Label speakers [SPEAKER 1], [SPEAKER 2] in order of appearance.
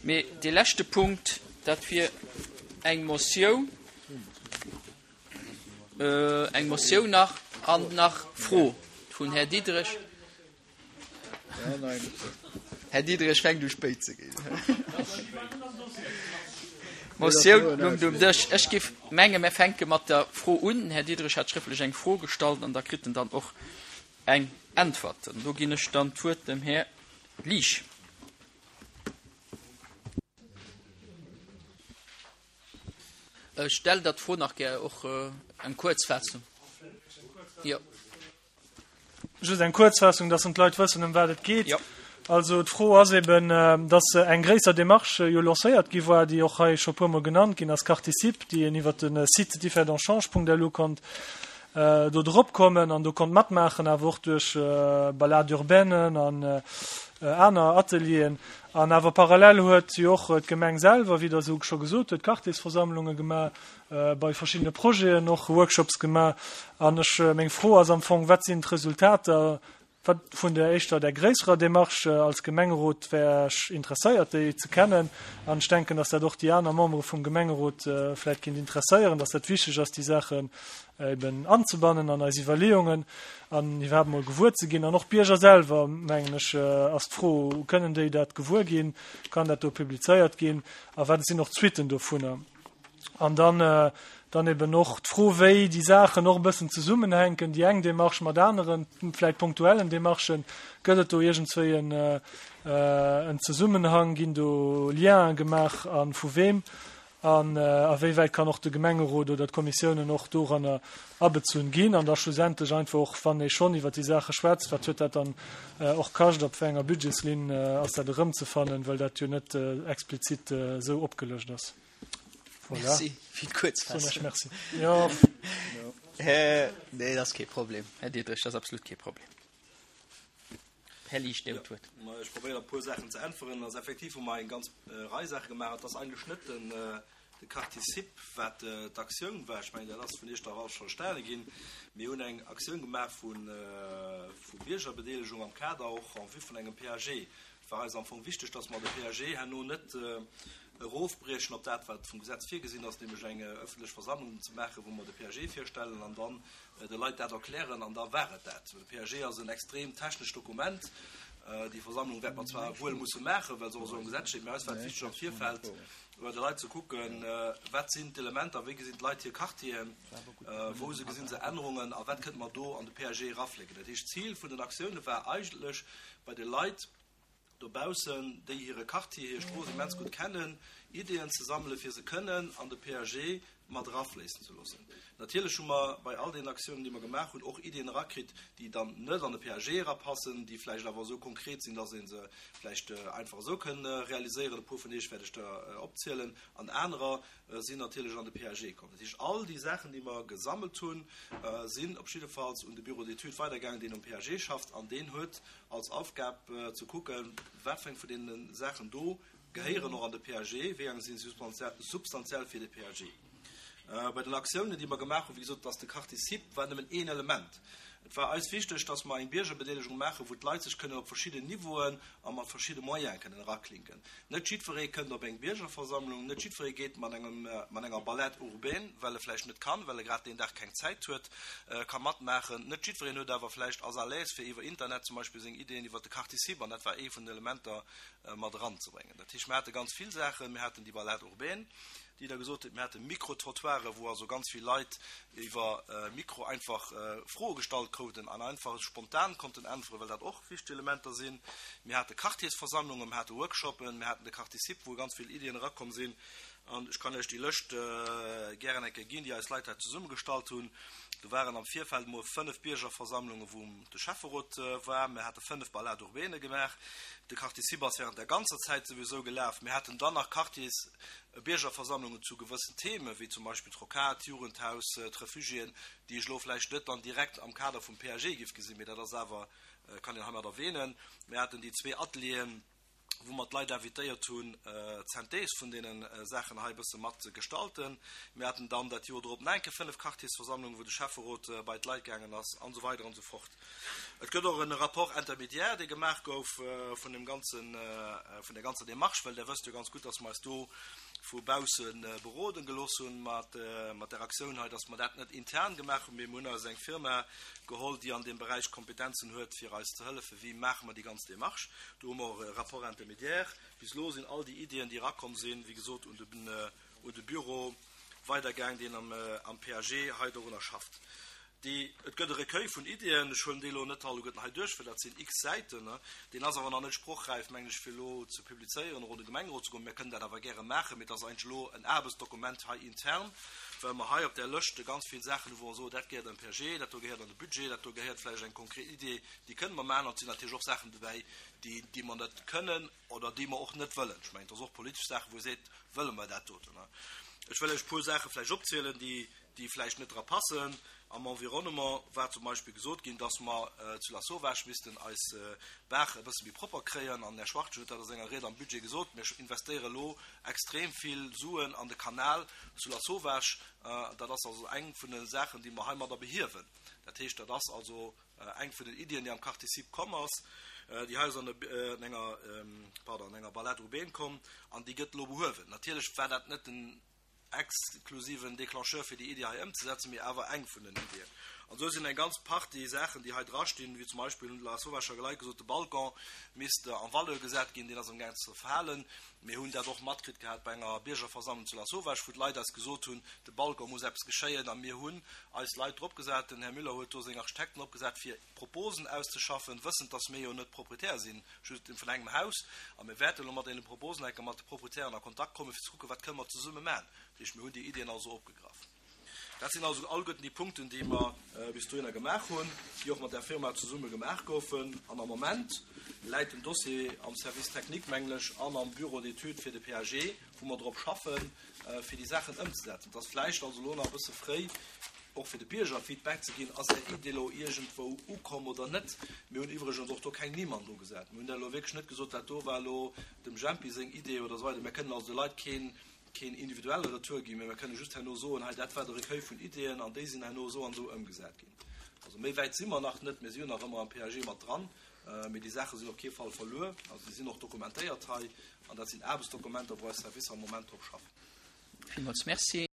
[SPEAKER 1] Mee dee leschte Punkt, dat wier eng Motioun, eng Motioun nach an nach Fro vun Här Diderich. Här Diderich fänkt u spéit ze ginn. D'Motioun lungt um Dësch. Ech géif menge mir fänke mat der Fro un. Den Här Diderich hat schrëftlech eng Fro gestallt an da kritt en dann och eng Äntwert. An do ginn ech dann d'Wuert dem Här Liesch. Ech stellen der d'Fro nach gär och eng Kuerzfaassung. Jo.
[SPEAKER 2] Just eng Kuerzfaassung, dass dann d'Leit wëssen, ëm wat et geet. Jo. Also d'Fro ass eben, dass eng gréisser Démarche jo lancéiert gi war, déi och hei scho puermol genannt ginn ass, Quarticip, déi een iwwert de Site differdange.lu konnt do drop kommen an do konnt matmaachen, awer och duerch Balade urbainen an aner Atelieren. An awer parallel huet jo och d'Gemeng selwer, wéi Der esou scho gesot hutt, Quartiersversammlunge gemaach, bei verschiddene Projeten och Workshops gemaach. An ech, meng Fro ass am Fong, Wat sinn d'Resultater wat vun der éischter, der gréisserer Démarche? Als Gemengerot wär ech interesséiert, déi ze kennen. An ech denken, dass dat och déi aner Membere vum Gemengerot vläicht kéint interesséieren, dass dat wichteg ass, déi Saachen eben anzebannen an eis Iwwerleeungen an iwwerhaapt emol gewuer ze ginn. An och d'Bierger selwer, mengen ech, ass d'Fro, Kënnen déi dat gewuer ginn? Kann dat do publizéiert ginn? A wat sinn och d'Suitten dovunner? An dann, dann eben och d'Fro, wéi déi Saachen och e bëssen zesummenhänken, déi eng Démarche mat aneren, vläicht punktuellen Démarchen. Gëtt et do iergendswéi en, en Zesummenhang? Ginn do Lienen gemaach a vu weem? An a wéi wäit kann och de Gemengerot oder d'Kommissiounen och doranner abezunn ginn? An da schlussendlech einfach och, wann ee schonn iwwert déi Saache schwätzt, wat huet dat dann och kascht, op wéi enger Budgetslinn ass dat erëmzefannen, well dat jo net explizit esou opgelëscht ass.
[SPEAKER 1] Voilà. Merci fir d'Kuerzfaassung.
[SPEAKER 2] Merci. Ja.
[SPEAKER 1] Nee, dat ass kee Problem, Här Diderich, dat ass absolut kee Problem. Här Liesch, Dir hutt d'Wuert.
[SPEAKER 3] Ja, ech probéieren op e puer Saachen ze äntweren. Also effektiv hu mer eng ganz Rei Saache gemaach. Et ass eigentlech net den, de Quarticip, wat d'Aktioun war. Ech mengen, dat ass vun Iech dach alles verstane ginn. Mir hunn eng Aktioun gemaach vu, vu Biergerbedeelegung am Kader och en vue vun engem PAG. Et war eis am Fong wichteg, dass mer de PAG herno net erofbriechen op dat, wat vum Gesetz virgesinn ass, nämlech eng öffentlech Versammlung ze maachen, wou mer de PAG virstellen an dann de Leit dat erklären an da war et dat. De PAG ass en extrem technescht Dokument. Déi Versammlung wäerte mer zwar wuel musse maachen, well se och esou am Gesetz steet, mä eis war et wichteg am Virfeld bei de Leit ze kucken, wat sinn d'Elementer, wéi gesinn d'Leit hir Quartieren, wou se gesinn se Ännerungen a wat kënnte mer do an de PAG eraflécken. Dat heescht, d'Zil vun den Aktioune war eigentlech bei de Leit, dobaussen, déi hire Quartier, hir Strooss immens gutt kennen, Ideeën ze sammelen, fir se kënnen an de PAG mat erafléissen ze loossen. Natierlech hu mer bei all deenen Aktiounen, déi mer gemaach hunn, och Ideeën erakritt, déi dann net an de PAG erapassen, déi vläicht awer esou konkret sinn, dass ee se vläicht einfach esou kënn realiséieren. E puer vun deech wäert ech der opzielen. An anerer sinn natierlech an de PAG komm. Dat heescht, all déi Saachen, déi mer gesammelt hunn, sinn op jiddefalls un de Bureau d'études weidergaangen, deen um PAG schafft, an deen huet als Aufgab ze kucken, wat fir eng vun deene Saachen do gehéieren och an de PAG, wéi eng si substantiell fir de PAG. Bei den Aktiounen, déi mer gemaach hunn, wéi gesot, ass de Quartier-Cible war nëmmen een Element. Et war eis wichteg, dass mer eng Biergerbedeelegung maachen, wou d'Leit sech kënnen op verschidden Niveauen a mat verschidde Moyene kënnen eraklinken. Net jiddweree kënnt op eng Biergerversammlung, net jiddweree geet mat engem, mat enger Balade urbaine, well e vläicht net kann, well e grad deen Dag keng Zäit huet, ka matmaachen. Net jiddwereen huet awer vläicht, ass à l'aise fir iwwer Internet zum Beispill seng Ideeën iwwert de Quartier-Cible, an dat war ee vun den Elementer, mat eranzebréngen. Dat heescht, mir hate ganz vill Saachen. Mir haten déi Balade urbaine, déi Der gesot hutt. Mir hate Micro-trottoiren, wou also ganz vill Leit iwwer Mikro einfach Froe gestallt kruten an einfach spontan konnten äntweren, well dat och wichteg Elementer sinn. Mir hate Quartiersversammlungen, mir hate Workshoppen, mir haten de Quartier-Cible, wou ganz vill Iddien erakomm sinn. An ech kann Iech déi Lëscht gären eng Kéier ginn, déi eis Leit hei zesummegestallt hunn. Do waren am Virfeld emol 5 Biergerversammlungen, wou de Schäfferot war. Mir hate 5 Balades urbaines gemaach. De Quartier-Cible ass während der ganzer Zäit souwisou gelaf. Mir haten dann nach Quartiers Biergerversammlungen zu gewëssen Themen, wéi zum Beispill d'Rocade, d'Jugendhaus, d'Refugiéen, déi ech elo vläicht net dann direkt am Kader vum PAG géif gesinn, mee dat ass awer, kann een heimat erwähnen. Mir haten déi zwee Atelieren. wou mer d'Leit invitéiert hunn, d'Synthèse vun deene Saachen hei e bësse mat ze gestalten. Mir haten dann dat Joer drop nach eng Kéier 5 Quartiersversammlungen, wou de Schäfferot bei d'Leit gaangen ass, an esou weider an esou fort. Et gëtt och e Rapport intermédiaire, dee gemaach gouf vun deem ganzen, vun där ganzer Démarche, well Der wësst jo ganz gutt, dass mer eis do vu bausse beroden gelooss hunn mat där Aktioun hei, dass mer dat net intern gemaach hunn, mee mir hunn eis eng Firma geholl, déi an deem Beräich Kompetenzen huet, fir eis ze hëllefen, wéi maache mer déi ganz Démarche. Do hu mer och e Rapport intermédiaire. Bis elo sinn all déi Iddien, déi erakomm sinn, wéi gesot, un de Büro weidergaang, deen am PAG hei dorunner schafft. Déi, et gëtt e Recueil vun Iddien, ech huelen déi elo net alleguerten hei duerch, well dat sinn x Säiten, deen ass awer nach net sprochräif, mengen ech, fir elo ze publizéieren oder un de Gemengerot ze goen. Mir kënnen dat awer gäre maachen, mee et ass eigentlech elo en Aarbechtsdokument hei intern, well mer hei op där Lëscht ganz vill Saachen hu wou mer soen, dat gehéiert an den PAG, dat do gehéiert an de Budget, dat do gehéiert vläicht eng konkret Idee, déi kënne mer maachen. An et sinn natierlech och Saachen dobäi, déi, déi mer net kënnen oder déi mer och net wëllen. Ech mengen, et ass och politesch Saachen, wou ee seet, wëlle mer dat doten? Ech wëll lech e puer Saache vläicht opzielen, déi, déi vläicht net dra passen. Am Environnement war zum Beispill gesot ginn, dass mer zu Lasauvage missten eis Baach e bësse méi propper kréien. An den Här Schwachtgen huet dat a senger Ried am Budget gesot, Mir investéiere elo extrem vill Suen an de Kanal zu Lasauvage. Dat ass also eng vun de Saachen, déi mer heimadder behiewen. Dat heescht, dat ass also eng vun den Iddien, déi am Quartier-Cible komm ass. Déi hei ass an enger, pardon, an enger Balade urbaine komm an déi gëtt elo behuewen. Natierlech war dat net den exklusiven Déclencheur fir déi Iddi hei ëmzesetzen, mee awer eng vun den Iddien. An esou sinn eng ganz Partie Saachen, déi hei drastinn, wéi zum Beispill, hunn d'Lasauvage Leit gesot, de Balcon misst en valeur gesat ginn, deen ass amgaang ze zerfalen. Mir hunn dat och matkritt gehat bei enger Biergerversammlung zu Lasauvage, wou d'Leit eis gesot hunn, de Balcon muss eppes geschéien. A mir hunn eis Leit dropgesat, den Här Müller huet do seng Architekten opgesat, fir Proposen auszeschaffen, wëssend, dass mir jo net Proprietär sinn, just vun engem Haus, a mir wäerten elo mat deene Proposen enke mat de Proprietären a Kontakt kommen, fir ze kucken, wat kënne mer zesumme maachen. Dat heescht, mir hunn déi Iddien also opgegraff. Dat sinn also alleguerten déi Punkten, déi mer bis dohinner gemaach hunn, déi och mat där Firma zesumme gemaach goufen. An am Moment läit den Dossier am Service technique, mengen ech, an am Bureau d'études fir de PAG, wou mer drop schaffen, fir déi Saachen ëmzesetzen. Et ass vläicht also elo nach e bësse fréi, och fir de Bierger Feedback ze ginn, Ass Är Iddi elo iergendwou ukomm oder net? Mir hunn iwwregens och do keng Nimm an dru gesat. Mir hunn dat elo wierklech net gesot, dat do war elo dem Jempi seng Idee oder esou weider. Mir kënnen also de Leit keen, keen individuelle Retour ginn, mä mir kënnen just herno soen, hei dat war de Recueil vun Ideeën an déi sinn herno esou an esou ëmgesat ginn. Also méi wäit si mer nach net. Mir si jo nach ëmmer am PAG mat dran. Mee déi Saache sinn op kee Fall verluer. Also déi sinn och dokumentéiert hei an dat sinn Aarbechtsdokumenter, wou eis Servicer am Moment drop schaffen.
[SPEAKER 1] Villmools Merci.